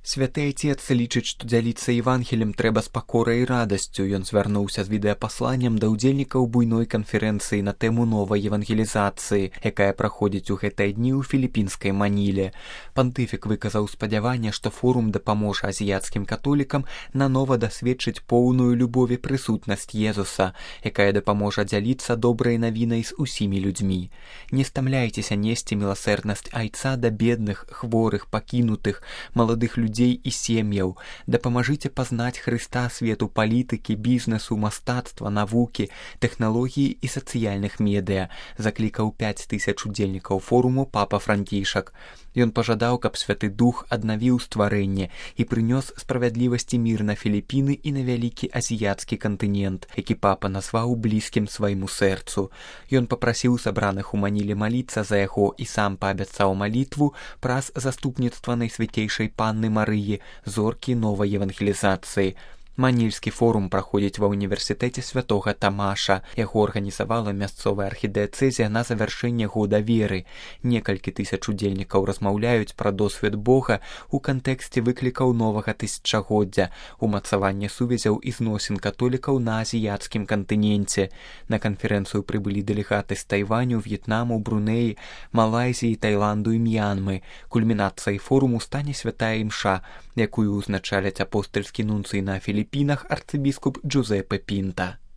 Святы айцец лічыць, што дзяліцца Евангелем трэба з пакорай і радасцю. Ён звярнуўся з відэапасланнем да ўдзельнікаў буйной канферэнцыі на тэму новай евангелізацыі, якая праходзіць у гэтыя дні ў філіпінскай Маніле. Пантыфік выказаў спадзяванне, што форум дапаможа азіяцкім католікам нанова дасведчыць поўную любовь і прысутнасць Езуса, якая дапаможа дзяліцца добрай навінай з усімі людзьмі. Не стамляйцеся несці міласэрнасць айца да бедных, хворых, пакінутых, маладых людзей і сем'яў. Дапамажыце пазнаць Хрыста свету палітыкі, бізнесу, мастацтва, навукі, тэхналогіі і сацыяльных медыа, заклікаў 5000 удзельнікаў форуму папа Францішак. Ён пажадаў, каб Святы Дух аднавіў стварэнне і прынёс справядлівасць і мір на Філіпіны і на вялікі азіяцкі кантынент, які папа назваў блізкім свайму сэрцу. Ён папрасіў сабраных у Маніле маліцца за яго і сам паабяцаў малітву праз заступніцтва Найсвяцейшай Панны Марыі, зоркі новай евангелізацыі. Манільскі форум праходзіць ва ўніверсітэце святога Тамаша. Яго арганізавала мясцовая архідыяцэзія на завяршэнне года веры. Некалькі тысяч удзельнікаў размаўляюць пра досвед Бога ў кантэксце выклікаў новага тысячагоддзя, умацавання сувязяў і зносін католікаў на азіяцкім кантыненце. На канферэнцыю прыбылі дэлегаты з Тайваню, В'етнаму, Брунеі, Малайзіі, Таіланду і М'янмы. Кульмінацыяй форуму стане святая імша, якую ўзначаляць апостальскі нунцый на Філіпінах арцыбіскуп Джузепе Пінта.